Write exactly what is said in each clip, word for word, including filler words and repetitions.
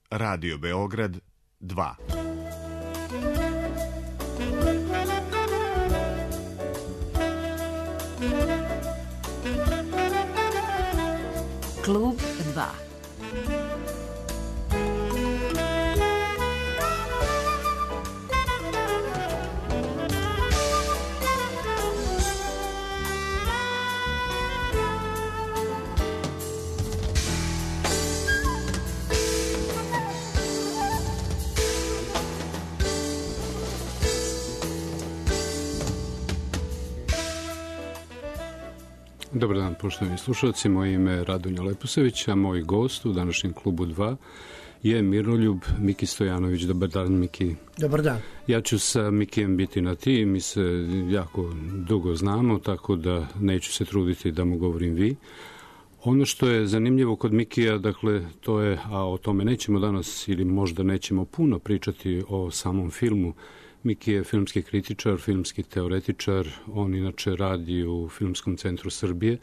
Radio Beograd dva. Klub dva. Dobar dan, poštovani slušalci. Moje ime je Radonja Leposević, a moj gost u današnjem klubu dva je Miroljub Miki Stojanović. Dobar dan, Miki. Dobar dan. Ja ću sa Mikijem biti na ti. Mi se jako dugo znamo, tako da neću se truditi da mu govorim vi. Ono što je zanimljivo kod Mikija, dakle, to je, a o tome nećemo danas ili možda nećemo puno pričati o samom filmu. Miki je filmski kritičar, filmski teoretičar, on inače radi u Filmskom centru Srbije,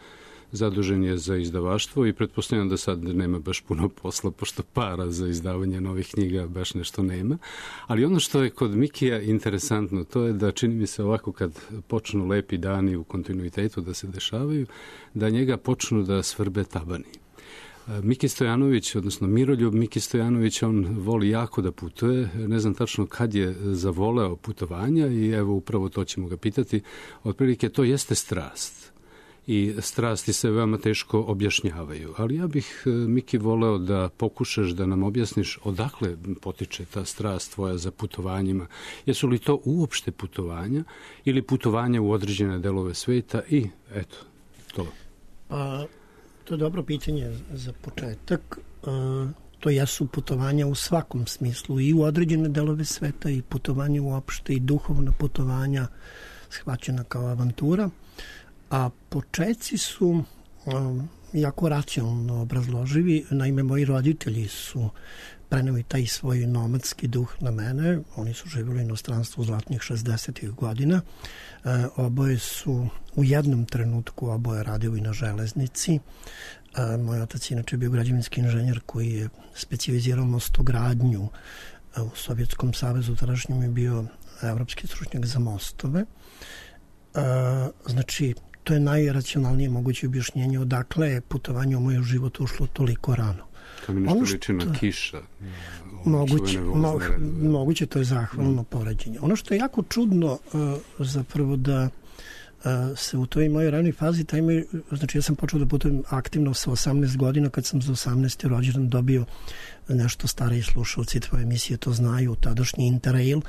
zadužen je za izdavaštvo i pretpostavljam da sad nema baš puno posla, pošto para za izdavanje novih knjiga baš nešto nema. Ali ono što je kod Mikija interesantno, to je da čini mi se ovako kad počnu lepi dani u kontinuitetu da se dešavaju, da njega počnu da svrbe tabani. Miki Stojanović, odnosno Miroljub Miki Stojanović, on voli jako da putuje, ne znam tačno kad je zavoleo putovanja i evo upravo to ćemo ga pitati. Otprilike to jeste strast i strasti se veoma teško objašnjavaju, ali ja bih, Miki, voleo da pokušaš da nam objasniš odakle potiče ta strast tvoja za putovanjima. Jesu li to uopšte putovanja ili putovanja u određene delove sveta i eto, to. Pa... To je dobro pitanje za početak. To jesu putovanja u svakom smislu, i u određene delove sveta, i putovanja uopšte, i duhovna putovanja shvaćena kao avantura. A početci su jako racionalno obrazloživi. Naime, moji roditelji su preneli taj svoj nomadski duh na mene. Oni su živjeli u inostranstvu u zlatnih šezdesetih godina. E, oboje su u jednom trenutku oboje radili na železnici. E, moj otac je inače bio građevinski inženjer koji je specijalizirao mostogradnju e, u Sovjetskom savezu. Tadašnjem je bio evropski stručnjak za mostove. E, znači, to je najracionalnije moguće objašnjenje odakle je putovanje u moj život ušlo toliko rano. To mi nešto liči na kiša. Moguće, mo, moguće, to je zahvalno mm. poređenje. Ono što je jako čudno uh, zapravo da uh, se u toj mojoj ranoj fazi, taj moj, znači ja sam počeo da putujem aktivno sa osamnaest godina, kad sam za osamnaesti rođendan dobio nešto stariji slušalci tvoje emisije to znaju, tadašnji Interrail,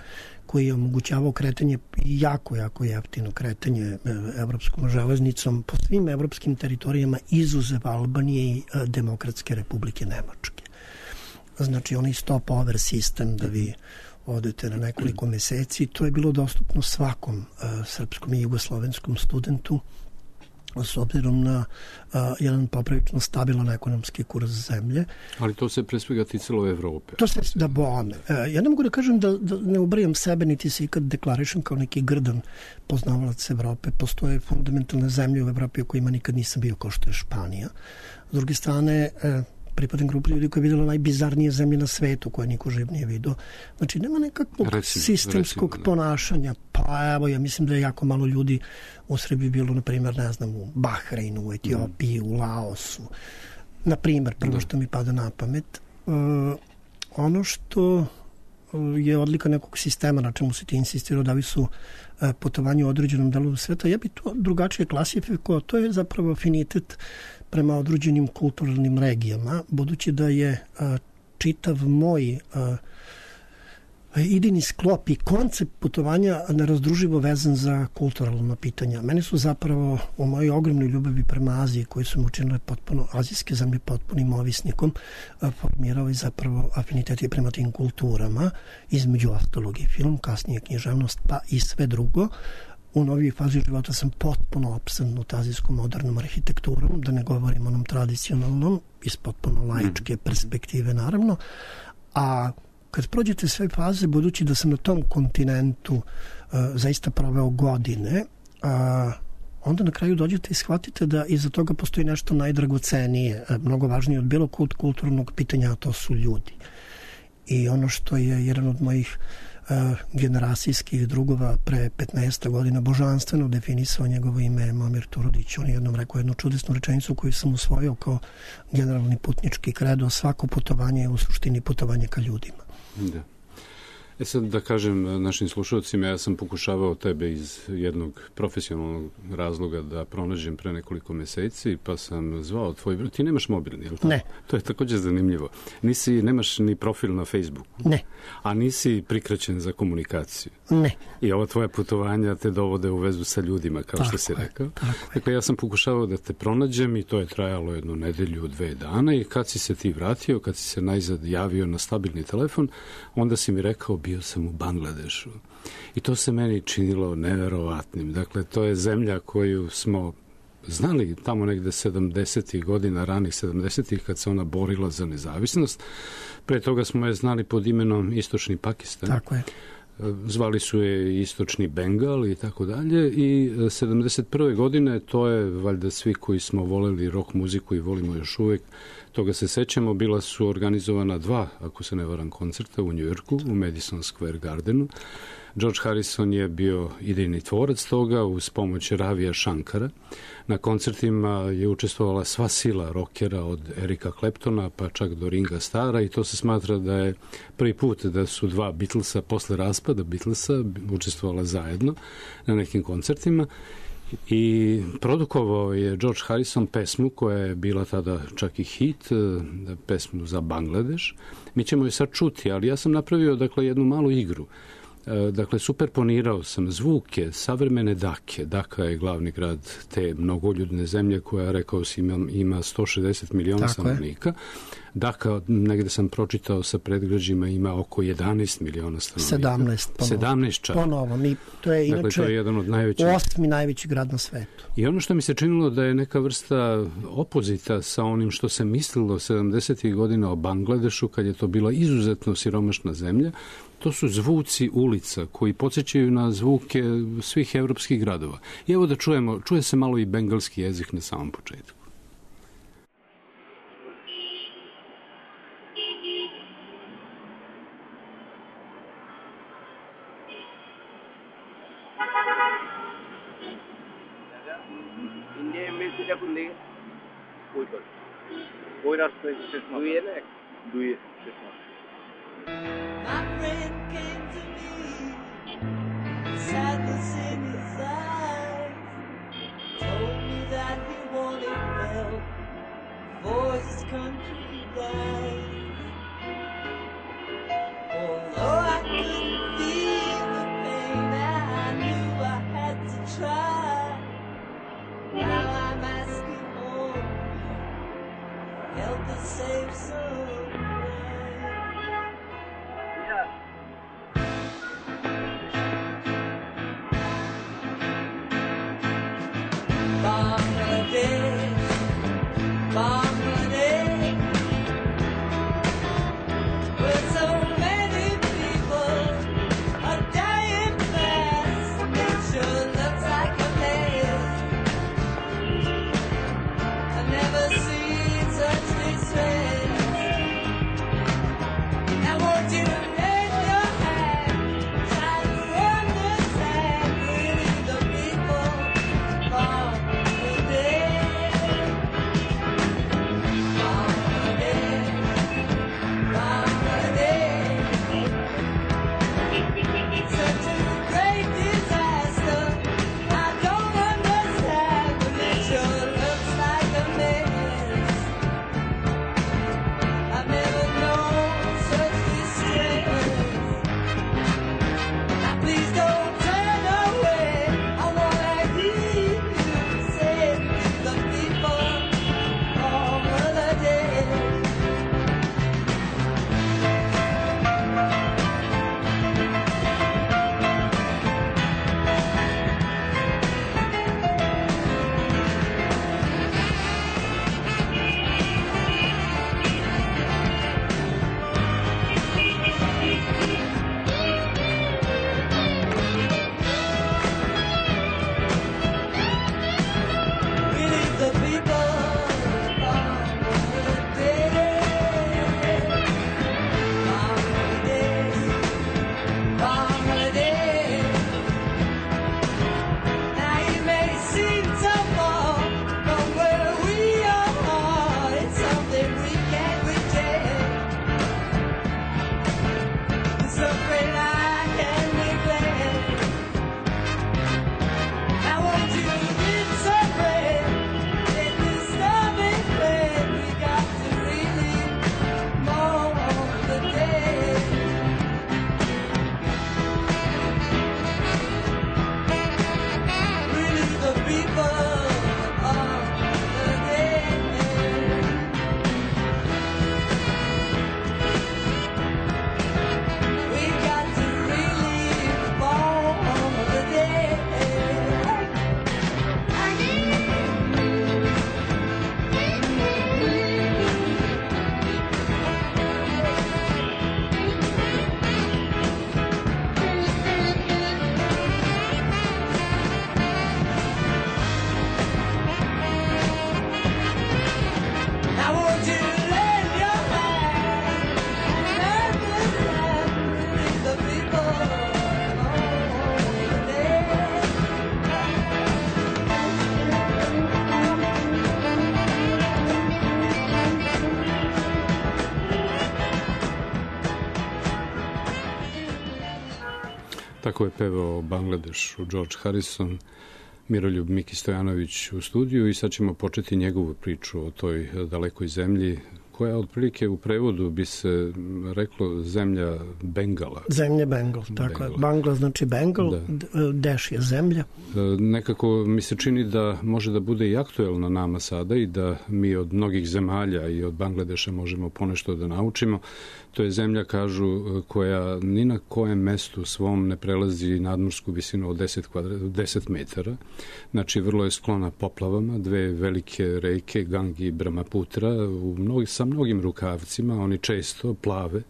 koji je omogućavao kretanje, jako, jako jeftino kretanje evropskom železnicom po svim evropskim teritorijama izuzev Albanije i Demokratske republike Nemačke. Znači, onaj stop-over sistem da vi odete na nekoliko meseci, to je bilo dostupno svakom uh, srpskom i jugoslovenskom studentu s obzirom na uh, jedan poprilično stabilan ekonomski kurs zemlje. Ali to se pre svega ticalo Evrope. To se, da bome. Uh, ja ne mogu da kažem da, da ne ubrijam sebe, niti se ikad deklarišem kao neki grdan poznavalac Evrope. Postoje fundamentalne zemlje u Evropi u kojima nikad nisam bio, kao što je Španija. S druge strane, uh, pripadam grupu ljudi koja je vidjela najbizarnije zemlje na svetu koje niko živ nije vidio. Znači, nema nekakvog recimo, sistemskog recimo, ponašanja. Pa evo, ja mislim da je jako malo ljudi u Srbiji bilo, na primjer, ne znam, u Bahreinu, u Etiopiji, mm. u Laosu. Na primjer, prvo da. što mi pada na pamet. Uh, ono što je odlika nekog sistema na čemu se ti insistirao da li su uh, putovanje u određenom delu sveta, ja bi to drugačije klasifikovao. To je zapravo afinitet prema određenim kulturalnim regijama, budući da je a, čitav moj a, idejni sklop i koncept putovanja nerazdruživo vezan za kulturalna pitanja. Mene su zapravo u mojoj ogromnoj ljubavi prema Aziji, koji su mi učinile potpuno, azijske zemlje potpunim ovisnikom, a, formirali zapravo afiniteti prema tim kulturama, između ostalog i film, kasnije književnost, pa i sve drugo. U novijoj fazi života sam potpuno opsednut azijskom modernom arhitekturom, da ne govorim onom tradicionalnom, iz potpuno laičke perspektive naravno, a kad prođete sve faze, budući da sam na tom kontinentu uh, zaista proveo godine, uh, onda na kraju dođete i shvatite da iza toga postoji nešto najdragocenije, uh, mnogo važnije od bilo kod kulturnog pitanja, a to su ljudi. I ono što je jedan od mojih uh, generacijskih drugova pre petnaest godina božanstveno definisao njegovo ime je Momir Turudić. On je jednom rekao jednu čudesnu rečenicu koju sam usvojio kao generalni putnički kredo: svako putovanje je u suštini putovanje ka ljudima. Da. E sad da kažem našim slušalcima, ja sam pokušavao tebe iz jednog profesionalnog razloga da pronađem pre nekoliko meseci, pa sam zvao tvoj broj. Ti nemaš mobilni, je li tako? Ne. To je također zanimljivo. Nisi, nemaš ni profil na Facebooku. Ne. A nisi prikraćen za komunikaciju. Ne. I ova tvoja putovanja te dovode u vezu sa ljudima, kao tako što si je, rekao. Tako dakle, ja sam pokušavao da te pronađem i to je trajalo jednu nedelju, dve dana i kad si se ti vratio, kad si se najzad javio na stabilni telefon, onda si mi rekao bio sam u Bangladešu. I to se meni činilo neverovatnim. Dakle, to je zemlja koju smo znali tamo negde sedamdesetih godina, ranih sedamdesetih, kad se ona borila za nezavisnost. Pre toga smo je znali pod imenom Istočni Pakistan. Tako je. Zvali su je Istočni Bengal i tako dalje. I sedamdeset prve godine, to je valjda svi koji smo voleli rock muziku i volimo još uvek, toga se sećamo, bila su organizovana dva, ako se ne varam, koncerta u Njujorku, u Madison Square Gardenu. George Harrison je bio idejni tvorac toga uz pomoć Ravija Shankara. Na koncertima je učestvovala sva sila rokera od Erika Claptona pa čak do Ringa Stara i to se smatra da je prvi put da su dva Beatlesa posle raspada Beatlesa učestvovala zajedno na nekim koncertima. I produkovao je George Harrison pesmu koja je bila tada čak i hit, pesmu za Bangladeš. Mi ćemo je sad čuti, ali ja sam napravio dakle jednu malu igru. Dakle, superponirao sam zvuke savremene Dake. Daka je glavni grad te mnogoljudne zemlje koja, rekao si, ima, ima sto šezdeset miliona stanovnika. Daka, negde sam pročitao sa predgrađima, ima oko jedanaest miliona stanovnika. sedamnaest. Ponovo. sedamnaest čak. Ponovo. Mi, to je inače dakle, to je jedan od najvećih. osmi najveći grad na svetu. I ono što mi se činilo da je neka vrsta opozita sa onim što se mislilo sedamdesetih godina o Bangladešu, kad je to bila izuzetno siromašna zemlja, to su zvuci ulica koji podsjećaju na zvuke svih evropskih gradova. I evo da čujemo, čuje se malo i bengalski jezik na samom početku. कोई रास्ता दुई है ना दुई My friend came to me, sadness in his eyes, told me that he wanted help for his country dies. Although I couldn't feel the pain, I knew I had to try. Now I'm asking all of you, help us save some. Bangladesh, Bangladesh, Tako je pevao Bangladešu George Harrison, Miroljub Miki Stojanović u studiju i sad ćemo početi njegovu priču o toj dalekoj zemlji koja otprilike u prevodu bi se reklo zemlja Bengala. Zemlja Bengal, tako je. Bangla znači Bengal, da. Deš je zemlja. Nekako mi se čini da može da bude i aktuelna nama sada i da mi od mnogih zemalja i od Bangladeša možemo ponešto da naučimo. To je zemlja, kažu, koja ni na kojem mestu svom ne prelazi nadmorsku visinu od deset, kvadra, deset metara. Znači, vrlo je sklona poplavama, dve velike reke, Gangi i Brahmaputra, u mnogi, sa mnogim rukavcima, oni često plave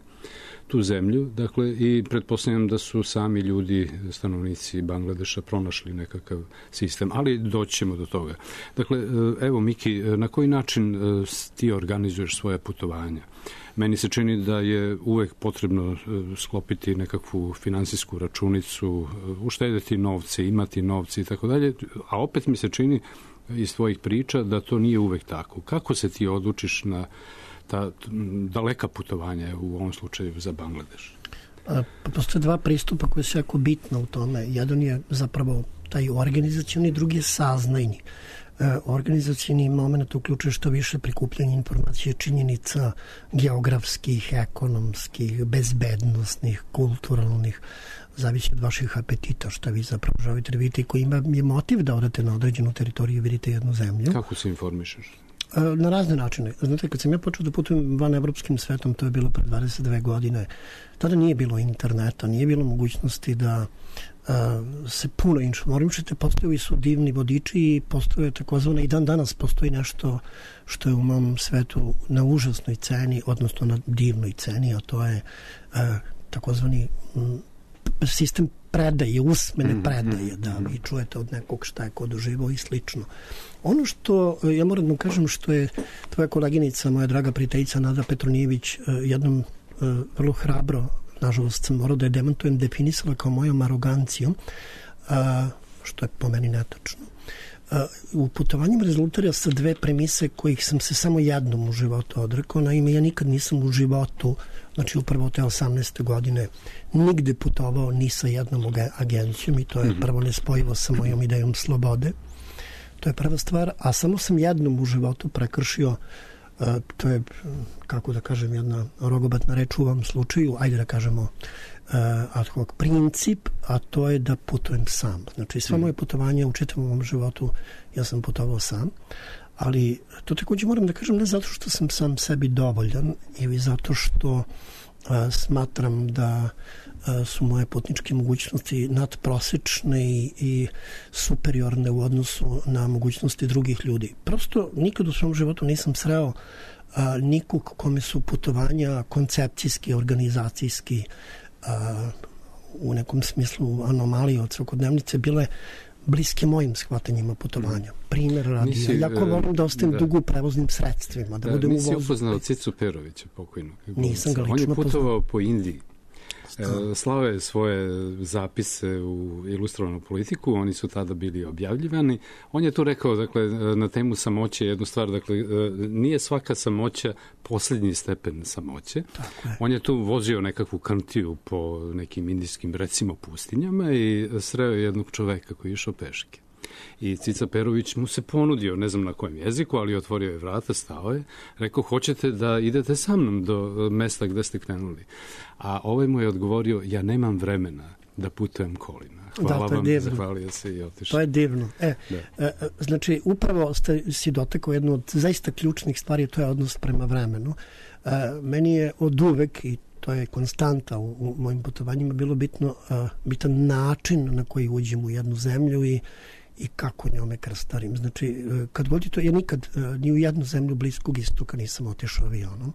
tu zemlju, dakle, i pretpostavljam da su sami ljudi, stanovnici Bangladeša, pronašli nekakav sistem, ali doćemo do toga. Dakle, evo, Miki, na koji način ti organizuješ svoje putovanja? Meni se čini da je uvek potrebno sklopiti nekakvu finansijsku računicu, uštedeti novce, imati novce i tako dalje, a opet mi se čini iz tvojih priča da to nije uvek tako. Kako se ti odlučiš na ta daleka putovanja u ovom slučaju za Bangladeš? Pa, postoje dva pristupa koje su jako bitna u tome. Jedan je zapravo taj organizacioni, drugi je saznajni. E, organizacioni moment uključuje što više prikupljanje informacije, činjenica geografskih, ekonomskih, bezbednostnih, kulturalnih, zavisi od vaših apetita, šta vi zapravo želite da vidite i koji ima je motiv da odete na određenu teritoriju i vidite jednu zemlju. Kako se informišeš? Na razne načine. Znate, kad sam ja počeo da putujem van evropskim svetom, to je bilo pre dvadeset dve godine, tada nije bilo interneta, nije bilo mogućnosti da a, se puno informišete, postojali su divni vodiči i postoje takozvane, i dan danas postoji nešto što je u mom svetu na užasnoj ceni, odnosno na divnoj ceni, a to je a, takozvani m, sistem predaje, usmene predaje, da vi čujete od nekog šta je ko doživao i slično. Ono što, ja moram da kažem, što je tvoja koleginica, moja draga prijateljica Nada Petronijević, jednom vrlo hrabro, nažalost sam morao da je demantujem, definisala kao mojom arogancijom, što je po meni netačno. U putovanjima rezultira sa dve premise kojih sam se samo jednom u životu odrekao. Naime, ja nikad nisam u životu, znači upravo te osamnaeste godine, nigde putovao ni sa jednom agencijom i to je prvo nespojivo sa mojom idejom slobode. To je prva stvar, a samo sam jednom u životu prekršio, uh, to je, kako da kažem, jedna rogobatna reč u ovom slučaju, ajde da kažemo uh, ad hoc princip, a to je da putujem sam. Znači, sva moje putovanje u čitavom ovom životu ja sam putovao sam, ali to takođe moram da kažem ne zato što sam sam sebi dovoljan ili zato što uh, smatram da su moje putničke mogućnosti nadprosečne i, i superiorne u odnosu na mogućnosti drugih ljudi. Prosto nikad u svom životu nisam sreo a, nikog kome su putovanja koncepcijski, organizacijski, a, u nekom smislu anomalije od svakodnevnice bile bliske mojim shvatanjima putovanja. Primer radi. Nisi, ja jako volim da ostajem da. dugo u prevoznim sredstvima. Da, da budem nisi u vozu. upoznao Cicu Perovića, pokojnog. Nisam ga lično On je putovao poznao. po Indiji. Slao je svoje zapise u ilustrovanu politiku, oni su tada bili objavljivani. On je tu rekao, dakle, na temu samoće jednu stvar, dakle, nije svaka samoća posljednji stepen samoće. Tako je. On je tu vozio nekakvu kantiju po nekim indijskim, recimo, pustinjama i sreo jednog čoveka koji je išao peške. I Cica Perović mu se ponudio, ne znam na kojem jeziku, ali otvorio je vrata, stao je, rekao, hoćete da idete sa mnom do mesta gde ste krenuli. A ovaj mu je odgovorio, ja nemam vremena da putujem kolima. Hvala da, vam, divno. Zahvalio se i otišao. To je divno. E, e, znači, upravo ste si dotakao jednu od zaista ključnih stvari, to je odnos prema vremenu. E, meni je od uvek, i to je konstanta u, u mojim putovanjima, bilo bitno, a, bitan način na koji uđem u jednu zemlju i i kako njome krstarim. Znači, kad god je to, ja nikad ni u jednu zemlju Bliskog istoka nisam otišao avionom.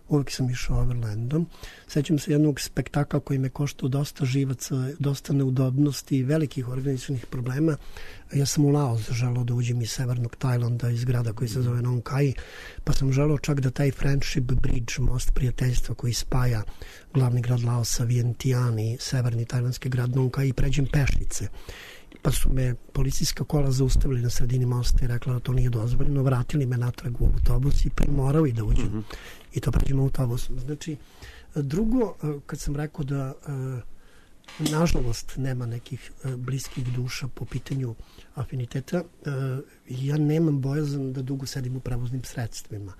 Uvijek sam išao overlandom. Sećam se jednog spektakla koji me koštao dosta živaca, dosta neudobnosti i velikih organizacionih problema. Ja sam u Laos želao da uđem iz severnog Tajlanda, iz grada koji se zove Nong Khai, pa sam želao čak da taj Friendship Bridge, most prijateljstva koji spaja glavni grad Laosa, Vientiane i severni tajlandski grad Nong Khai, pređem pešice. Pa su me policijska kola zaustavili na sredini mosta i rekla da to nije dozvoljeno, vratili me natrag u autobus i primorao i da uđem. Mm-hmm. I to pređemo autobusom. Znači, drugo, kad sam rekao da nažalost nema nekih e, bliskih duša po pitanju afiniteta. E, ja nemam bojazan da dugo sedim u prevoznim sredstvima.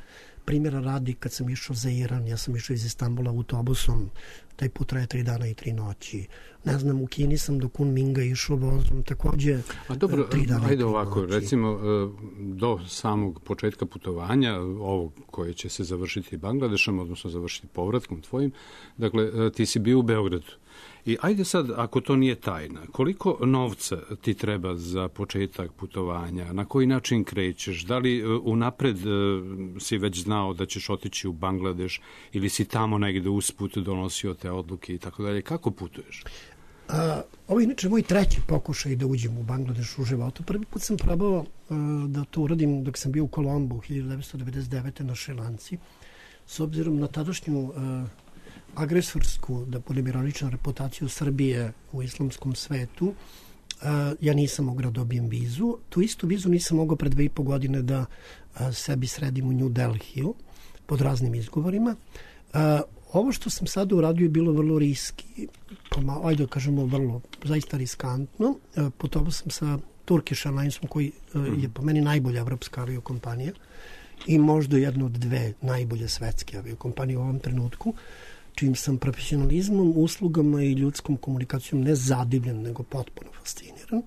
Primjera radi, kad sam išao za Iran, ja sam išao iz Istanbula autobusom, taj put traje tri dana i tri noći. Ne znam, u Kini sam do Kunminga išao vozom, takođe A dobro, tri dana ajde i tri ovako, noći. recimo do samog početka putovanja, ovog koje će se završiti Bangladešom, odnosno završiti povratkom tvojim, dakle, ti si bio u Beogradu. I ajde sad, ako to nije tajna, koliko novca ti treba za početak putovanja, na koji način krećeš, da li unapred si već znao da ćeš otići u Bangladeš ili si tamo negde usput donosio te odluke i tako dalje, kako putuješ? A, ovo je inače moj treći pokušaj da uđem u Bangladeš u životu. Prvi put sam probao a, da to uradim dok sam bio u Kolombu hiljadu devetsto devedeset devete na Šrilanci. S obzirom na tadašnju a, agresorsku, da budem ironičan, reputaciju Srbije u islamskom svetu, a, ja nisam mogao da dobijem vizu. Tu istu vizu nisam mogao pre dve i po godine da a, sebi sredim u New Delhiju pod raznim izgovorima. A, Ovo što sam sada uradio je bilo vrlo riski, pomalo, ajde da kažemo vrlo, zaista riskantno. Putovao sam sa Turkish Airlinesom koji je po meni najbolja evropska aviokompanija i možda jedna od dve najbolje svetske aviokompanije u ovom trenutku, čim sam profesionalizmom, uslugama i ljudskom komunikacijom ne zadivljen, nego potpuno fasciniran.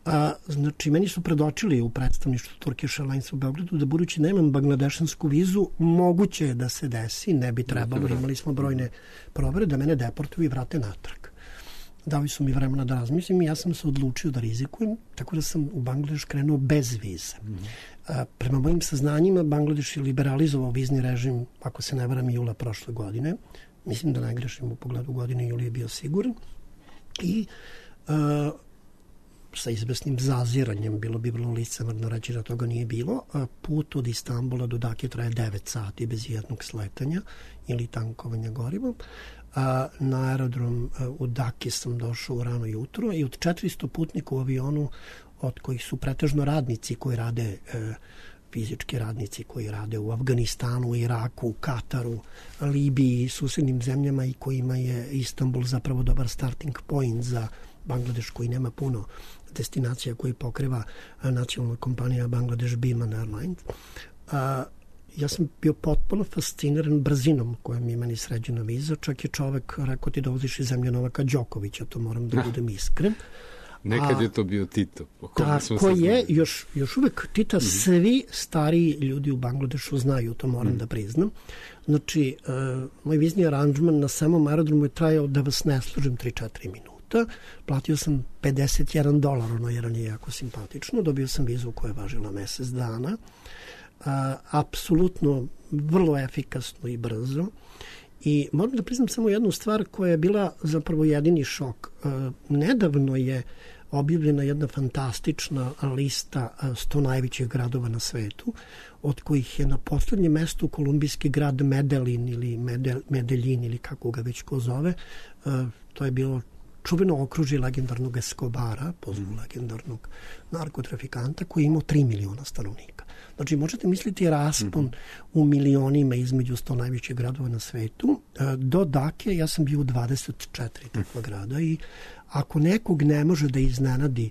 A, znači, meni su predočili u predstavništvu Turkish Airlines u Beogradu da budući nemam bangladešansku vizu, moguće je da se desi, ne bi trebalo, imali smo brojne provere, da mene deportuju i vrate natrag. Dali su mi vremena da razmislim i ja sam se odlučio da rizikujem, tako da sam u Bangladeš krenuo bez vize. A, prema mojim saznanjima, Bangladeš je liberalizovao vizni režim, ako se ne varam, jula prošle godine. Mislim da ne grešim u pogledu godine, juli je bio siguran. I a, sa izvesnim zaziranjem, bilo bi vrlo licemerno reći da toga nije bilo. Put od Istanbula do Dake traje devet sati bez jednog sletanja ili tankovanja gorivom. Na aerodrom u Daki sam došao u rano jutro i od četiristo putnika u avionu, od kojih su pretežno radnici koji rade, fizički radnici koji rade u Afganistanu, Iraku, Kataru, Libiji i susednim zemljama i kojima je Istanbul zapravo dobar starting point za Bangladeš koji nema puno destinacija koji pokriva nacionalna kompanija Bangladesh Biman Airlines. A, ja sam bio potpuno fasciniran brzinom kojom je meni sređena viza. Čak je čovek rekao ti dolaziš iz zemlje Novaka Đokovića, to moram da budem iskren. Nekad A, je to bio Tito. Tako je, još, još uvek Tita mm-hmm. svi stariji ljudi u Bangladešu znaju, to moram mm-hmm. da priznam. Znači, uh, moj vizni aranžman na samom aerodromu je trajao, da vas ne služim, tri do četiri minuta. Platio sam pedeset jedan dolar, ono jedan je jako simpatično, dobio sam vizu koja je važila mesec dana. A, apsolutno vrlo efikasno i brzo. I moram da priznam samo jednu stvar koja je bila zapravo jedini šok. A, nedavno je objavljena jedna fantastična lista sto najvećih gradova na svetu, od kojih je na poslednjem mestu kolumbijski grad Medellin ili Medel, Medellin ili kako ga već ko zove. A, to je bilo čuveno okružje legendarnog Escobara, pozvu legendarnog narkotrafikanta, koji je imao tri miliona stanovnika. Znači, možete misliti raspon mm-hmm. u milionima između sto najvećih gradova na svetu. Do Dake ja sam bio u dvadeset četiri takva grada i ako nekog ne može da iznenadi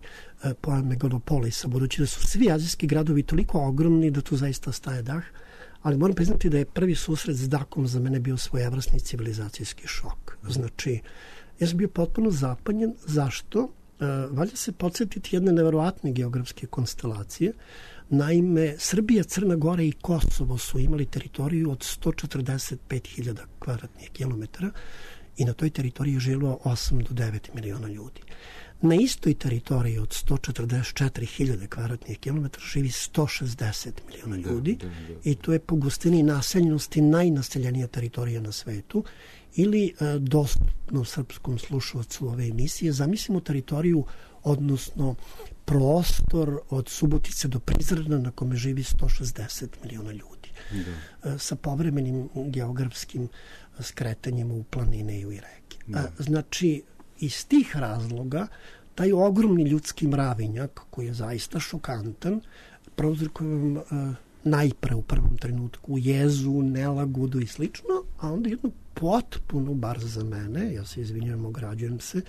pojam megalopolisa, budući da su svi azijski gradovi toliko ogromni da tu zaista staje dah, ali moram priznati da je prvi susret s Dakom za mene bio svojevrsni civilizacijski šok. Znači, ja sam bio potpuno zapanjen. Zašto? E, valja se podsjetiti jedne neverovatne geografske konstelacije. Naime, Srbija, Crna Gora i Kosovo su imali teritoriju od sto četrdeset pet hiljada kvadratnih kilometara i na toj teritoriji je živjelo osam do devet miliona ljudi. Na istoj teritoriji od sto četrdeset četiri hiljade kvadratnih kilometara živi sto šezdeset miliona ljudi da, da, da. I to je po gustini naseljenosti najnaseljenija teritorija na svetu. Ili e, dostupno srpskom slušalcu ove emisije, zamislimo teritoriju, odnosno prostor od Subotice do Prizrena na kome živi sto šezdeset miliona ljudi. Da. E, sa povremenim geografskim skretanjima u planine i u reke. Da. E, znači, iz tih razloga, taj ogromni ljudski mravinjak, koji je zaista šokantan, prouzrokuje vam e, najpre u prvom trenutku jezu, nelagodu i slično, a onda jednu potpuno, bar za mene, ja se izvinjam, ograđujem se,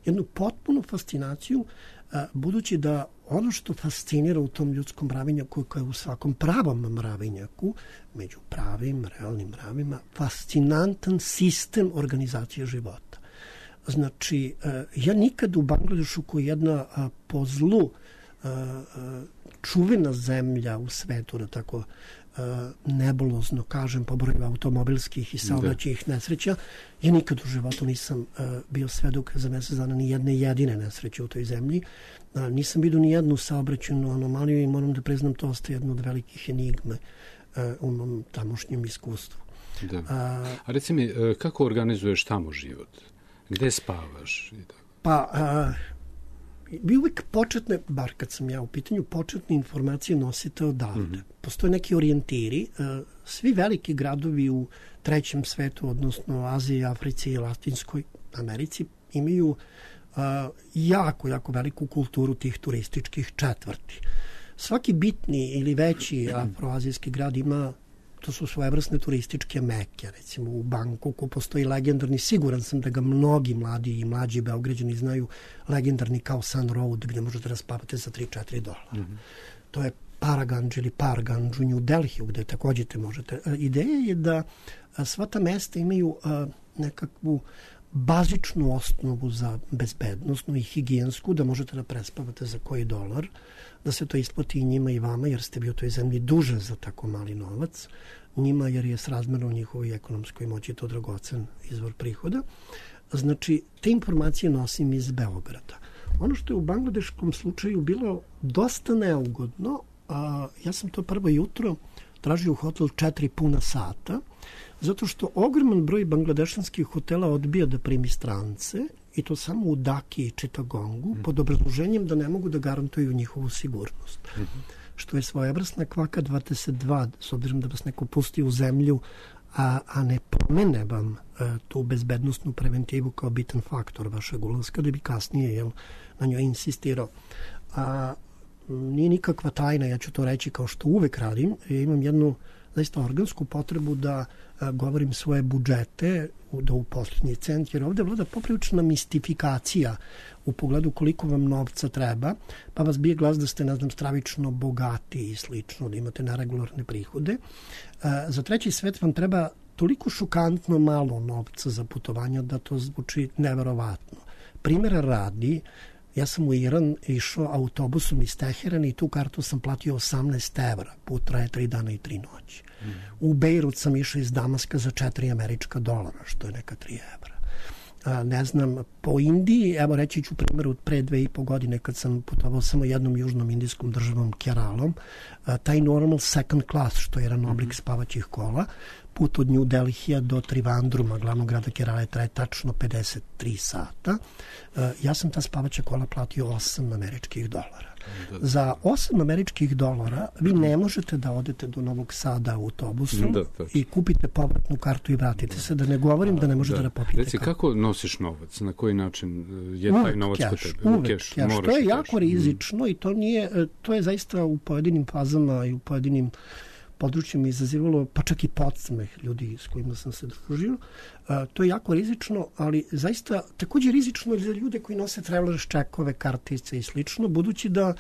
jednu potpunu fascinaciju, a, budući da ono što fascinira u tom ljudskom mravinjaku, koje je u svakom pravom mravinjaku, među pravim, realnim mravima, fascinantan sistem organizacije života. Znači, a, ja nikad u Bangladešu, koja je jedna a, po zlu a, a, čuvena zemlja u svetu, da tako nebulozno kažem, po broju automobilskih i saobraćajnih nesreća, ja nikad u životu nisam uh, bio svedok za mesec dana ni jedne jedine nesreće u toj zemlji. Uh, nisam vidio ni jednu saobraćajnu anomaliju i moram da priznam, to ostaje jedno od velikih enigme uh, u mom tamošnjem iskustvu. Da. Uh, A reci mi, uh, kako organizuješ tamo život? Gde spavaš? Pa, uh, vi uvijek početne, bar kad sam ja u pitanju, početne informacije nosite odavde. Mm-hmm. Postoje neki orijentiri. Svi veliki gradovi u trećem svetu, odnosno Aziji, Africi i Latinskoj Americi, imaju jako, jako veliku kulturu tih turističkih četvrti. Svaki bitni ili veći afroazijski grad ima, to su svojevrsne turističke meke. Recimo u Bangkoku postoji legendarni, siguran sam da ga mnogi mladi i mlađi Beograđani znaju, legendarni Khao San Road, gde možete da spavate za tri do četiri dolara. Mm-hmm. To je Paraganj ili Parganj u New Delhiju, gde takođe te možete. Ideja je da sva ta mesta imaju nekakvu bazičnu osnovu za bezbednostnu i higijensku, da možete da prespavate za koji dolar, da se to isplati i njima i vama, jer ste bi u toj zemlji duže za tako mali novac, njima jer je srazmerno njihovoj ekonomskoj moći to dragocen izvor prihoda. Znači, te informacije nosim iz Beograda. Ono što je u bangladeškom slučaju bilo dosta neugodno, a, ja sam to prvo jutro tražio u hotel četiri puna sata, zato što ogroman broj bangladešanskih hotela odbija da primi strance, i to samo u Daki i Čitagongu, mm. pod obrazloženjem da ne mogu da garantuju njihovu sigurnost. Mm-hmm. Što je svojevrsna kvaka dvadeset dva, s obzirom da vas neko pusti u zemlju, a, a ne pomene vam a, tu bezbednostnu preventivu kao bitan faktor vašeg ulaska, da bi kasnije jel, na njoj insistirao. A nije nikakva tajna, ja ću to reći kao što uvek radim, ja imam jednu zaista organsku potrebu da a, govorim svoje budžete, da uposlednji cent, jer ovde vlada poprilična mistifikacija u pogledu koliko vam novca treba, pa vas bije glas da ste, ne znam, stravično bogati i slično, da imate neregularne prihode. A, za treći svet vam treba toliko šokantno malo novca za putovanja da to zvuči neverovatno. Primjera radi, ja sam u Iran išao autobusom iz Teherana i tu kartu sam platio osamnaest evra, put traje tri dana i tri noći. Mm. U Bejrut sam išao iz Damaska za četiri američka dolara, što je neka tri evra. A, ne znam, po Indiji, evo reći ću primjer od pre dve i po godine kad sam putovao samo jednom južnom indijskom državom Keralom, a, taj normal second class, što je jedan oblik spavaćih kola, put od New Delhija do Trivandruma, glavnog grada Kerala, traje tačno pedeset tri sata. A, ja sam ta spavaća kola platio osam američkih dolara. Za osam američkih dolara vi ne možete da odete do Novog Sada autobusom da, i kupite povratnu kartu i vratite se, da ne govorim da ne možete da, da popijete. Reci, kako nosiš novac? Na koji način je uvek taj novac kod tebe? Uvek keš. To je jako rizično i to nije, to je zaista u pojedinim fazama i u pojedinim područjima izazivalo, pa čak i podsmeh ljudi s kojima sam se družio. A, to je jako rizično, ali zaista takođe rizično za ljude koji nose travelers čekove, kartice i slično, budući da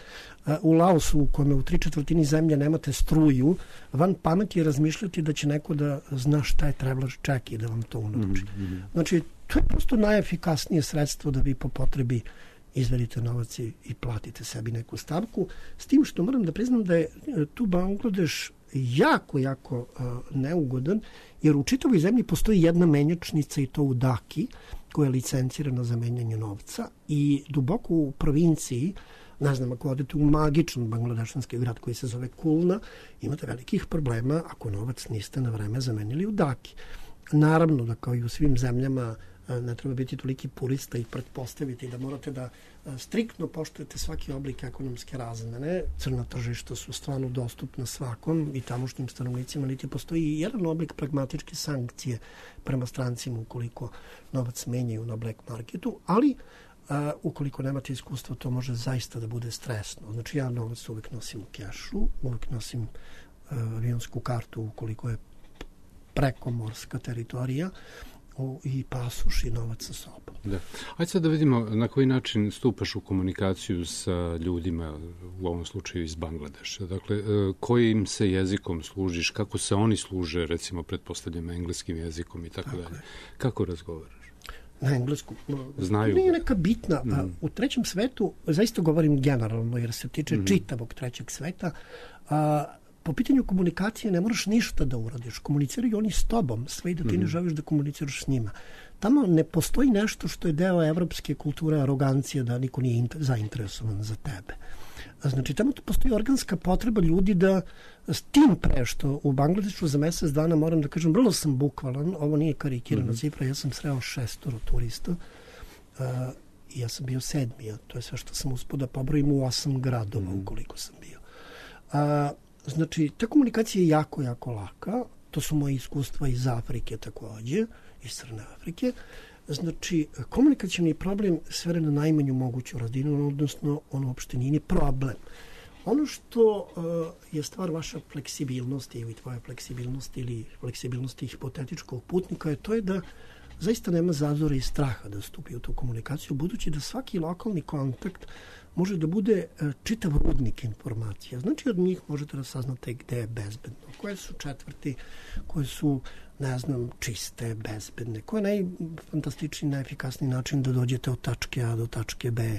a, u Laosu, u kome u tri četvrtini zemlje nemate struju, van pameti je razmišljati da će neko da zna šta je travelers ček i da vam to unuči. Mm-hmm. Znači, to je prosto najefikasnije sredstvo da vi po potrebi izvedite novac i platite sebi neku stavku. S tim što moram da priznam da je tu Bangladeš jako, jako uh, neugodan, jer u čitavoj zemlji postoji jedna menjačnica i to u Daki, koja je licencirana za menjanje novca, i duboko u provinciji, ne znam, ako odete u magičan bangladešanski grad koji se zove Kulna, imate velikih problema ako novac niste na vreme zamenili u Daki. Naravno da kao i u svim zemljama ne treba biti toliki purista i pretpostaviti da morate da striktno poštujete svaki oblik ekonomske razmene. Crna tržišta su stvarno dostupna svakom i tamošnjim stanovnicima, niti postoji jedan oblik pragmatičke sankcije prema strancima ukoliko novac menjaju na black marketu, ali a, ukoliko nemate iskustva, to može zaista da bude stresno. Znači, ja novac uvek nosim u kešu, uvek nosim a, avionsku kartu ukoliko je prekomorska teritorija i pasoš i novac sa sobom. Da. Ajde sad da vidimo na koji način stupaš u komunikaciju sa ljudima, u ovom slučaju iz Bangladeša. Dakle, kojim se jezikom služiš, kako se oni služe, recimo, pretpostavljam engleskim jezikom i tako, tako dalje. Kako razgovaraš? Na englesku. Znaju. Nije neka bitna. Mm. U trećem svetu, zaista govorim generalno, jer se tiče mm. čitavog trećeg sveta, a, po pitanju komunikacije ne moraš ništa da uradiš. Komuniciraju oni s tobom, sve i da ti mm. ne želiš da komuniciraš s njima. Tamo ne postoji nešto što je deo evropske kulture arogancije, da niko nije zainteresovan za tebe. Znači, tamo postoji organska potreba ljudi da, s tim pre što u Bangladešu za mesec dana, moram da kažem, vrlo sam bukvalan, ovo nije karikirana mm-hmm. cifra, ja sam sreo šestoro turista uh, i ja sam bio sedmi, a to je sve što sam uspio da pobrojim u osam gradova mm-hmm. ukoliko sam bio. Uh, znači, ta komunikacija je jako, jako laka, to su moje iskustva iz Afrike takođe, iz Crne Afrike. Znači, komunikacijni problem svere na najmanju moguću razinu, odnosno on uopšte nije problem. Ono što uh, je stvar vaša fleksibilnosti ili tvoja fleksibilnosti ili fleksibilnosti hipotetičkog putnika je to je da zaista nema zazora i straha da stupi u tu komunikaciju, budući da svaki lokalni kontakt može da bude uh, čitav rudnik informacija. Znači, od njih možete da saznate gde je bezbedno, koje su četvrti, koje su ne znam, čiste, bezbedne. Koji je najfantastičniji, najefikasniji način da dođete od tačke A do tačke B?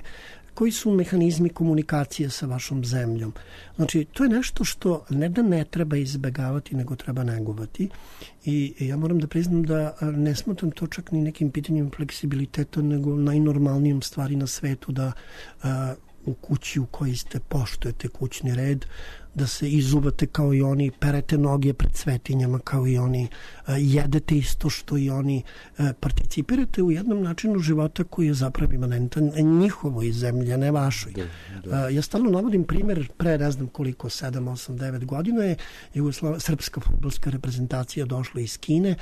Koji su mehanizmi komunikacije sa vašom zemljom? Znači, to je nešto što ne da ne treba izbegavati, nego treba negovati. I ja moram da priznam da ne smatram to čak ni nekim pitanjem fleksibiliteta, nego najnormalnijom stvari na svetu da a, u kući u kojoj ste poštujete kućni red, da se izubate kao i oni, perete noge pred svetinjama kao i oni, jedete isto što i oni, participirate u jednom načinu života koji je zapravo imanentan njihovoj zemlji, a ne vašoj. Da, da. Ja stalno navodim primjer, pre ne znam koliko, sedam, osam, devet godina je Jugoslav, srpska fudbalska reprezentacija došla iz Kine,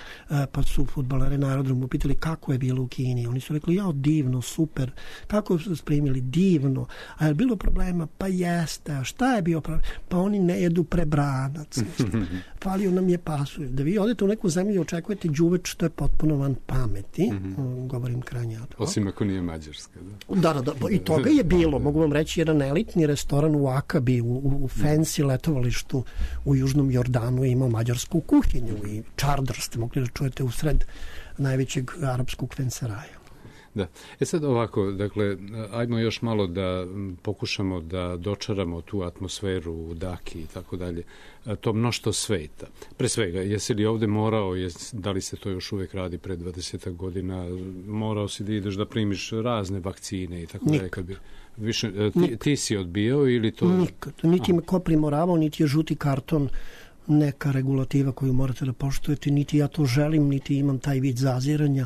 pa su fudbalere na aerodromu pitali kako je bilo u Kini. Oni su rekli, ja, divno, super. Kako su spremili? Divno. A je bilo problema? Pa jeste. A šta je bio problem? Pa oni ne jedu prebranac. Falio nam je pasulj. Da vi odete u neku zemlju i očekujete đuveč, što je potpuno van pameti. Mm-hmm. Govorim krajnje ad hoc. Osim ako nije Mađarska. Da, da, da, da. I toga je bilo. Mogu vam reći, jedan elitni restoran u Akabi, u, u, u fancy letovalištu u Južnom Jordanu je imao mađarsku kuhinju i čardar ste mogli da čujete usred najvećeg arapskog fenseraja. Da. E sad ovako, dakle, ajmo još malo da pokušamo da dočaramo tu atmosferu u Daki i tako dalje, to mnoštvo sveta. Pre svega, jesi li ovde morao, jes, da li se to još uvek radi pre dvadeset godina, morao si da ideš da primiš razne vakcine i tako dalje? Kad bi, više, ti, ti si odbijao ili to? Nikad. Niti me ko primoravao, niti je žuti karton neka regulativa koju morate da poštujete, niti ja to želim, niti imam taj vid zaziranja.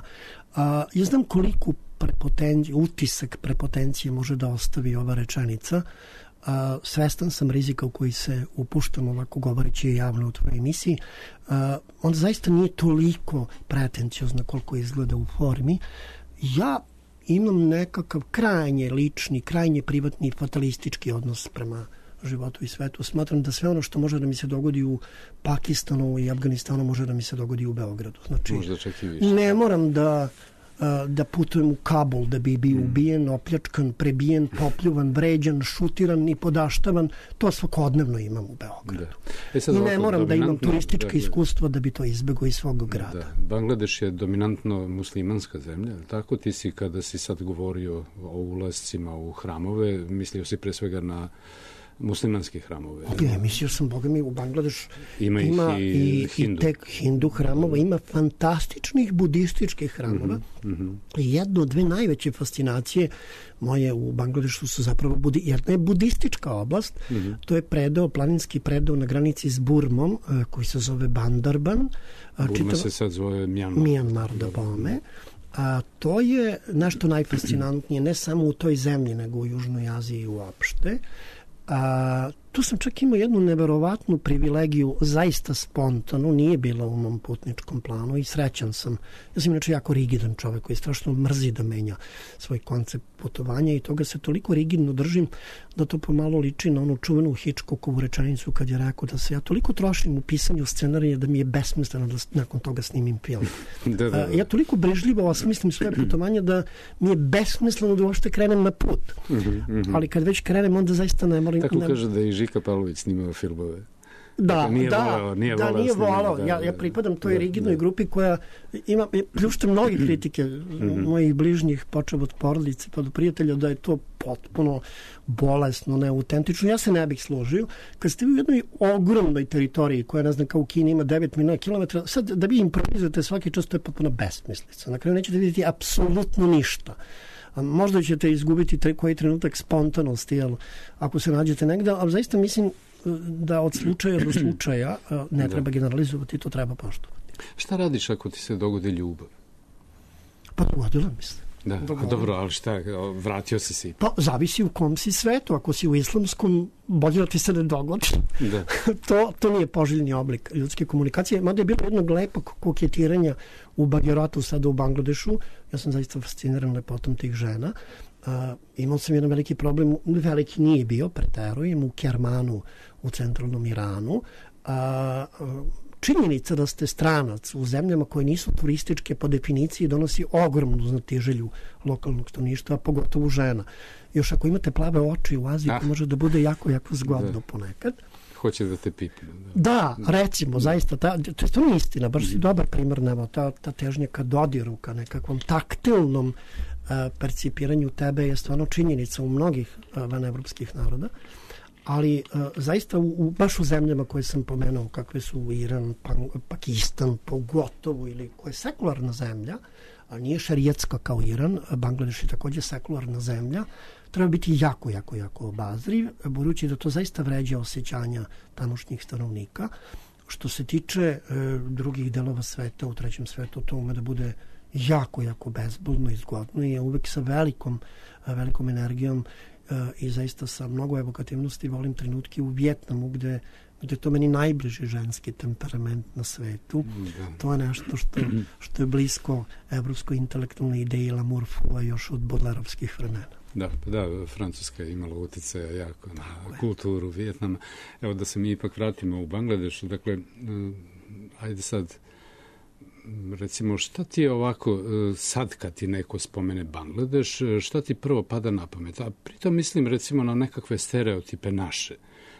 A, ja znam koliko prepotenci, utisak prepotencije može da ostavi ova rečenica. A, svestan sam rizika u koji se upuštam ovako govoreći javno u tvojoj emisiji. A, on zaista nije toliko pretenciozno koliko izgleda u formi. Ja imam nekakav krajnje lični, krajnje privatni fatalistički odnos prema životu i svetu. Smatram da sve ono što može da mi se dogodi u Pakistanu i Afganistanu može da mi se dogodi u Beogradu. Znači, ne moram da, da putujem u Kabul da bi bio ubijen, opljačkan, prebijen, popljuvan, vređan, šutiran i podaštavan. To svakodnevno imam u Beogradu. Da. E sad, I ne moram da imam turistička da, iskustva da bi to izbegao iz svog grada. Da. Bangladeš je dominantno muslimanska zemlja, tako? Ti si, kada si sad govorio o ulascima u hramove, mislio si pre svega na muslimanske hramove. Ne, mislio sam, Boga mi, u Bangladeš ima, ima i, i, hindu. i tek hindu hramova, ima fantastičnih budističkih hramova. Mm-hmm. I jedno, dve najveće fascinacije moje u Bangladešu su zapravo budi, jedna je budistička oblast, mm-hmm. to je predeo, planinski predeo na granici s Burmom, koji se zove Bandarban. Burma čitava, se sad zove Mjanmar. Mjanmar da bome. A to je nešto najfascinantnije, ne samo u toj zemlji, nego u Južnoj Aziji uopšte. A, tu sam čak imao jednu neverovatnu privilegiju, zaista spontano, nije bila u mom putničkom planu i srećan sam. Ja sam inače jako rigidan čovek koji strašno mrzi da menja svoj koncept putovanja i toga se toliko rigidno držim da to pomalo liči na onu čuvenu Hitchcockovu rečenicu kad je rekao da se ja toliko trošim u pisanju scenarija da mi je besmisleno da nakon toga snimim film. da, da, da. Ja toliko brižljivo osmislim svoje putovanje da mi je besmisleno da uopšte krenem na put. Mm-hmm. Ali kad već krenem, onda zaista ne moram... Tako ne... kaže da i Žika Pavlović snimao filmove. Da, dakle, nije da, voleo, nije da, voleo nije volao. Da, ja, ja pripadam toj da, rigidnoj da. grupi koja ima, pljušte mnogi kritike mm-hmm. mojih bližnjih, počeo od porodice pa do prijatelja, da je to potpuno bolesno, neautentično. Ja se ne bih složio. Kad ste u jednoj ogromnoj teritoriji koja, ne znam, kao u Kini ima devet miliona kilometara, sad da vi improvizujete svaki čas, to je potpuno besmislica. Na kraju nećete vidjeti apsolutno ništa. A možda ćete izgubiti tre, koji trenutak spontanosti, jel, ako se nađete negde, ali zaista mislim da od slučaja do slučaja ne treba generalizovati, to treba poštovati. Šta radiš ako ti se dogodi ljubav? Pa dogodila mi se. Da, a dobro, ali šta, vratio si si? Pa zavisi u kom si svetu. Ako si u islamskom, bolje da ti se ne dogodi. Da. to, to nije poželjni oblik ljudske komunikacije. Mada je bilo jednog lepog koketiranja u Bagiratu, sada u Bangladešu. Ja sam zaista fasciniran lepotom tih žena. Uh, imao sam jedan veliki problem, veliki nije bio, preterujem, u Kermanu, u centralnom Iranu. Uh, uh, činjenica da ste stranac u zemljama koje nisu turističke po definiciji donosi ogromnu znatiželju lokalnog stanovništva, pogotovo žena. Još ako imate plave oči u Aziji, to može da bude jako, jako zgodno da. ponekad. Hoće da te pipne. Da, da recimo, da. zaista, ta, to je stvarno istina, baš si dobar primjer, nema, ta, ta težnja ka dodiru, ka nekakvom taktilnom uh, percipiranju tebe je stvarno činjenica u mnogih uh, vanevropskih naroda. Ali uh, zaista u, u, baš u zemljama koje sam pomenuo, kakve su Iran, pa, Pakistan, pogotovo, ili koja je sekularna zemlja, a nije šerijetska kao Iran, Bangladeš je također sekularna zemlja, treba biti jako, jako, jako obazriv, budući da to zaista vređa osjećanja tamošnjih stanovnika. Što se tiče e, drugih delova sveta, u trećem svetu, to ume da bude jako, jako bezbolno i zgodno i uvek sa velikom, velikom energijom i zaista sa mnogo evokativnosti volim trenutke u Vjetnamu gde, gde to meni najbliži ženski temperament na svetu. Da. To je nešto što, što je blisko evropskoj intelektualnoj ideji L'amour fou još od bodlerovskih vremena. Da, da, Francuska je imala utjecaja jako na Tako kulturu je. Vjetnama. Evo da se mi ipak vratimo u Bangladešu. Dakle, ajde sad, recimo, šta ti je ovako, sad kad ti neko spomene Bangladeš, šta ti prvo pada na pamet? A pritom mislim recimo na nekakve stereotipe naše.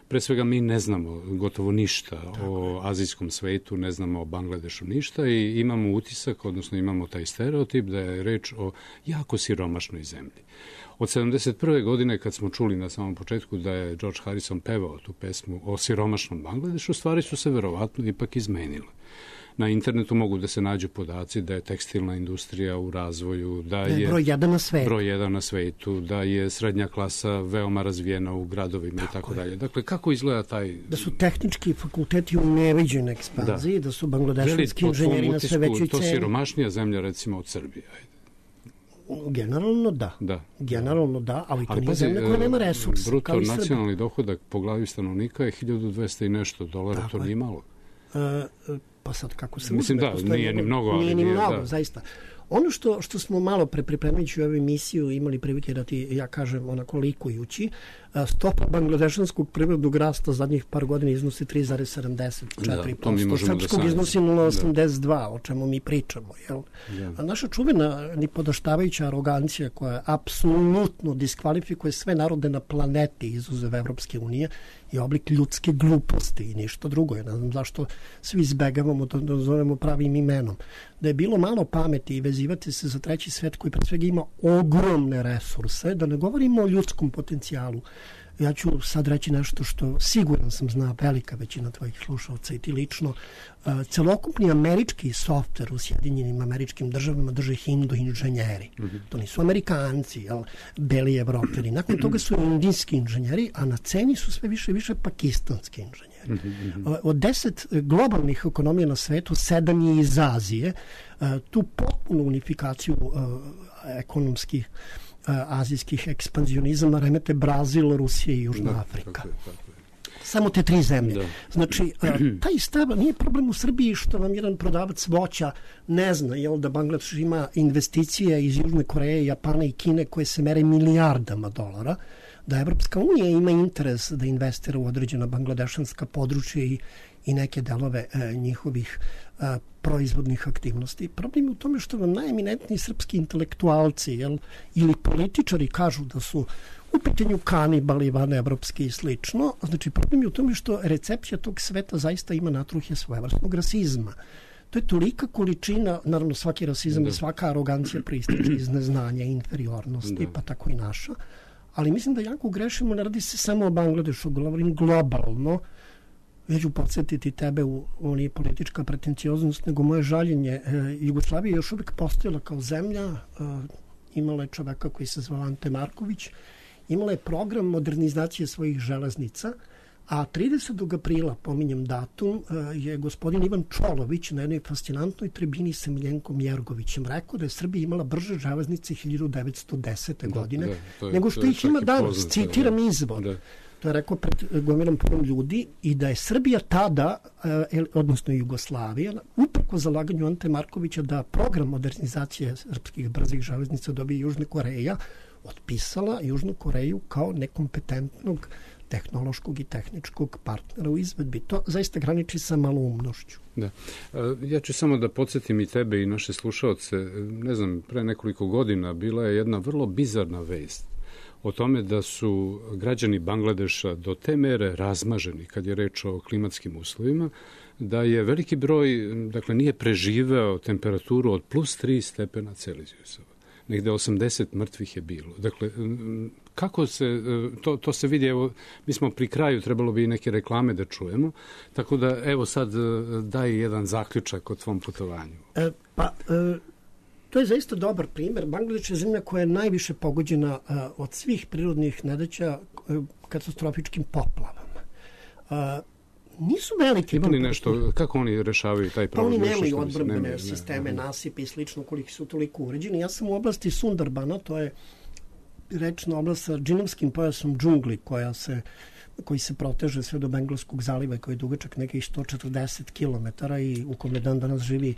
Pre svega mi ne znamo gotovo ništa Tako o je. azijskom svetu, ne znamo o Bangladešu ništa i imamo utisak, odnosno imamo taj stereotip da je reč o jako siromašnoj zemlji. Od sedamdeset prve godine kad smo čuli na samom početku da je George Harrison pevao tu pesmu o siromašnom Bangladešu, stvari su se verovatno ipak izmenile. Na internetu mogu da se nađu podaci da je tekstilna industrija u razvoju, da je broj jedan na svetu, broj jedan na svetu, da je srednja klasa veoma razvijena u gradovima tako i tako dalje. Dakle, kako izgleda taj... Da su tehnički fakulteti u neviđenoj ekspanziji, da, da su bangladešanski inženjeri na sve većoj ceni. To siromašnija zemlja recimo od Srbije, ajde. Generalno da. da. Generalno da, ali to ali, nije zemlja koja nema resursa. Bruto nacionalni dohodak po glavi stanovnika je hiljadu dvesta i nešto dolara, tako to nije malo. Uh, pa sad kako se mislim uzme, da, postoji, nije ni mnogo, ali nije ni nije, mnogo, da. zaista. Ono što, što smo malo pre pripremajući ovu emisiju imali prilike da ti, ja kažem, onako likujući, stopa bangladešanskog prirodnog rasta zadnjih par godina iznosi tri zarez sedamdeset četiri posto, srpskog da iznosi nula zarez osamdeset dva, da. o čemu mi pričamo. Jel? Da. A naša čuvena nipodaštavajuća arogancija koja apsolutno diskvalifikuje sve narode na planeti izuzev Evropske unije i oblik ljudske gluposti i ništa drugo. Ja ne znam zašto svi izbegavamo da, da zovemo pravim imenom. Da je bilo malo pameti i vezivati se za treći svet koji pre svega ima ogromne resurse, da ne govorimo o ljudskom potencijalu. Ja ću sad reći nešto što siguran sam zna velika većina tvojih slušalca i ti lično. Uh, celokupni američki softver u Sjedinjenim Američkim Državama drže hindu inženjeri. Mm-hmm. To nisu Amerikanci, jel, beli Evropljani. Nakon toga su indijski inženjeri, a na ceni su sve više i više pakistanski inženjeri. Mm-hmm. Uh, od deset globalnih ekonomija na svetu, sedam je iz Azije. Uh, tu potpunu unifikaciju uh, ekonomskih azijskih ekspanzionizama remete Brazil, Rusija i Južna da, Afrika. Tako je, tako je. samo te tri zemlje. Da. Znači, taj stav nije problem u Srbiji što vam jedan prodavac voća ne zna, jel, da Bangladeš ima investicije iz Južne Koreje, Japana i Kine koje se mere milijardama dolara, da Evropska unija ima interes da investira u određena bangladešanska područja i, i neke delove e, njihovih e, proizvodnih aktivnosti. Problem je u tome što vam najeminentniji srpski intelektualci, jel, ili političari kažu da su u pitanju kanibali, van evropski i slično. Znači, problem je u tome što recepcija tog sveta zaista ima natruhje svojevrsnog rasizma. To je tolika količina, naravno svaki rasizam i svaka arogancija proističe iz neznanja i inferiornosti, pa tako i naša. Ali mislim da jako grešimo, ne radi se samo o Bangladešu, govorim globalno. Ja ću podsjetiti tebe, u, u nije politička pretencioznost, nego moje žaljenje. E, Jugoslavija je još uvijek postojala kao zemlja, e, imala je čoveka koji se zvao Ante Marković, imala je program modernizacije svojih železnica, a tridesetog aprila, pominjem datum, je gospodin Ivan Čolović na jednoj fascinantnoj tribini sa Miljenkom Jergovićem rekao da je Srbija imala brže železnice hiljadu devetsto desete. Da, godine, da, to je, nego što ih ima danas. Citiram izvor. Da. To je rekao pred gomilom punom ljudi i da je Srbija tada, odnosno Jugoslavija, uprko zalaganju Ante Markovića da program modernizacije srpskih brzih železnica dobije Južna Koreja, otpisala Južnu Koreju kao nekompetentnog tehnološkog i tehničkog partnera u izvedbi. To zaista graniči sa maloumnošću. Da. Ja ću samo da podsjetim i tebe i naše slušaoce. Ne znam, pre nekoliko godina bila je jedna vrlo bizarna vest o tome da su građani Bangladeša do te mere razmaženi kad je reč o klimatskim uslovima, da je veliki broj, dakle, nije preživeo temperaturu od plus tri stepena Celzijusova. Negde osamdeset mrtvih je bilo. Dakle, kako se, to, to se vidi, evo, mi smo pri kraju, trebalo bi i neke reklame da čujemo, tako da, evo sad, daj jedan zaključak o tvom putovanju. E, pa, e, to je zaista dobar primer. Bangladeš je zemlja koja je najviše pogođena e, od svih prirodnih nedaća e, katastrofičkim poplavama. E, nisu velike. Ima li nešto, kako oni rešavaju taj problem? Pa oni nemaju odbrambene sisteme, ne, nasipe i slično, koliko su toliko uređeni. Ja sam u oblasti Sundarbana, to je rečna oblast sa džinovskim pojasom džungli, koja se, koji se proteže sve do Bengalskog zaliva, koji je dugačak nekih sto četrdeset kilometara i u kome dan danas živi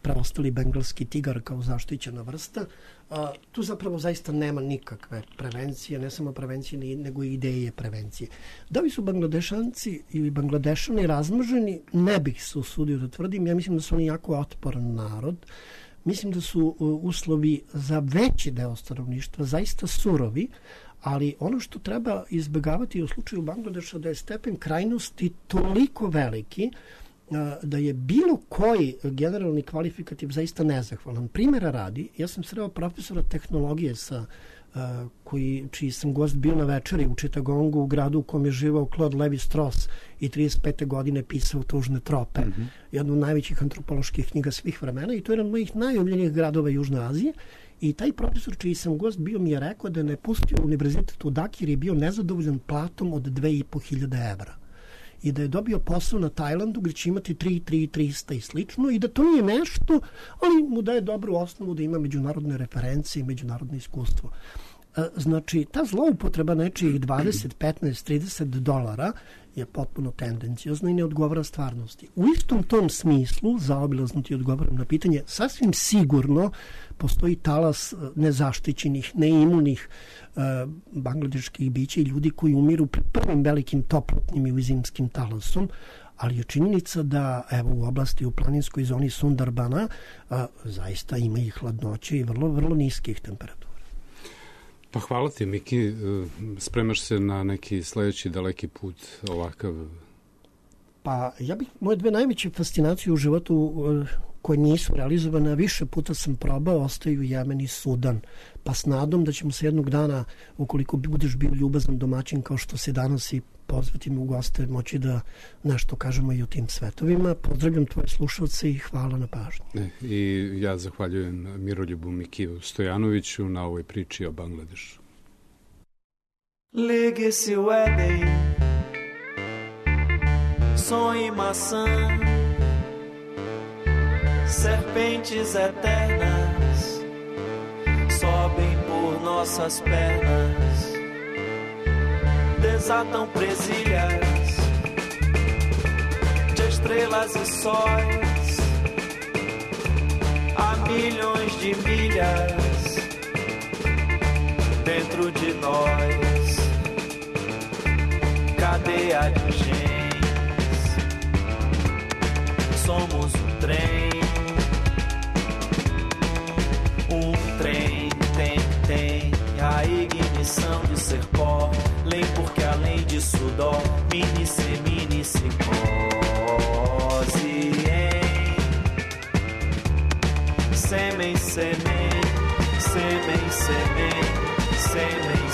preostali bengalski tigar kao zaštićena vrsta. A, tu zapravo zaista nema nikakve prevencije, ne samo prevencije, nego i ideje prevencije. Da li su Bangladešanci ili Bangladešani razmrženi, ne bih se usudio da tvrdim. Ja mislim da su oni jako otporan narod. Mislim da su uslovi za veći deo stanovništva zaista surovi, ali ono što treba izbjegavati u slučaju Bangladeša da je stepen krajnosti toliko veliki da je bilo koji generalni kvalifikativ zaista nezahvalan. Primjera radi, ja sam sreo profesora tehnologije sa, uh, koji, čiji sam gost bio na večeri u Chittagongu, u gradu u kom je živao Claude Levi-Strauss i trideset pete godine pisao Tužne trope, mm-hmm. jednu od najvećih antropoloških knjiga svih vremena i to je jedan od mojih najomiljenijih gradova Južne Azije. I taj profesor čiji sam gost bio mi je rekao da je napustio univerzitet u Daki jer je bio nezadovoljan platom od dve i po hiljade evra. I da je dobio posao na Tajlandu gdje će imati tri, tri, trista i slično i da to nije nešto, ali mu daje dobru osnovu da ima međunarodne referencije i međunarodno iskustvo. Znači, ta zloupotreba nečijih dvadeset, petnaest, trideset dolara je potpuno tendencijozna i ne odgovara stvarnosti. U istom tom smislu, zaobilazno ti odgovaram na pitanje, sasvim sigurno postoji talas nezaštićenih, neimunih uh, bangladeških bića i ljudi koji umiru pred prvim velikim toplotnim i zimskim talasom, ali je činjenica da evo u oblasti u planinskoj zoni Sundarbana uh, zaista ima i hladnoće i vrlo, vrlo niskih temperatura. Pa hvala ti, Miki. Spremaš se na neki sledeći daleki put ovakav? Pa ja bih, moje dve najveće fascinacije u životu koje nisu realizovane, više puta sam probao, ostaju Jemen i Sudan. Pa s nadom da ćemo se jednog dana, ukoliko budeš bio ljubazan domaćin kao što se danas i pozvati me u goste, moći da nešto kažemo i o tim svetovima. Pozdravljam tvoje slušalce i hvala na pažnji. I ja zahvaljujem Miroljubu Mikiju Stojanoviću na ovoj priči o Bangladešu. Ligue-se o Éden, sonho e maçã, serpentes eternas sobem por nossas pernas, desatam presilhas estrelas e sóis, há milhões de milhas dentro de nós, cadeia de genes, somos um trem, um trem tem, tem a ignição de ser pó, lei porque além disso dó, mini se mini se cose em sêmen, sêmen, sêmen, sêmen, sêmen,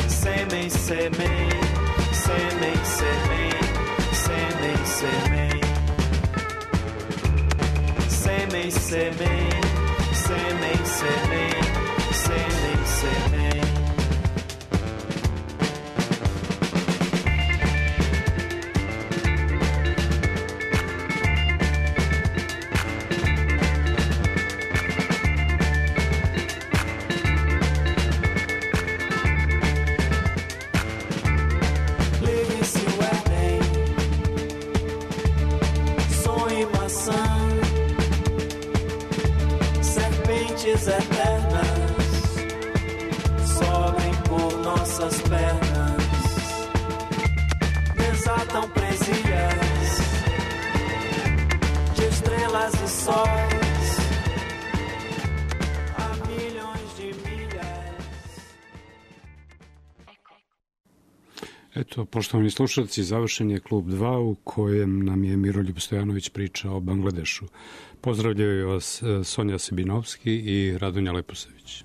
sêmen, sêmen, sêmen, sêmen, sêmen, sêmen, sêmen, sêmen, sêmen, sêmen, sêmen, sêmen, sêmen. Ligue-se o Éden, sonho e maçã, serpentes eternas sobem por nossas pernas, desatam presilhas de estrelas e sóis, há milhões de milhas. Eto, poštovani slušalci, završen je klub dva u kojem nam je Miroljub Stojanović pričao o Bangladešu. Pozdravljaju vas Sonja Sebinovski i Radonja Leposević.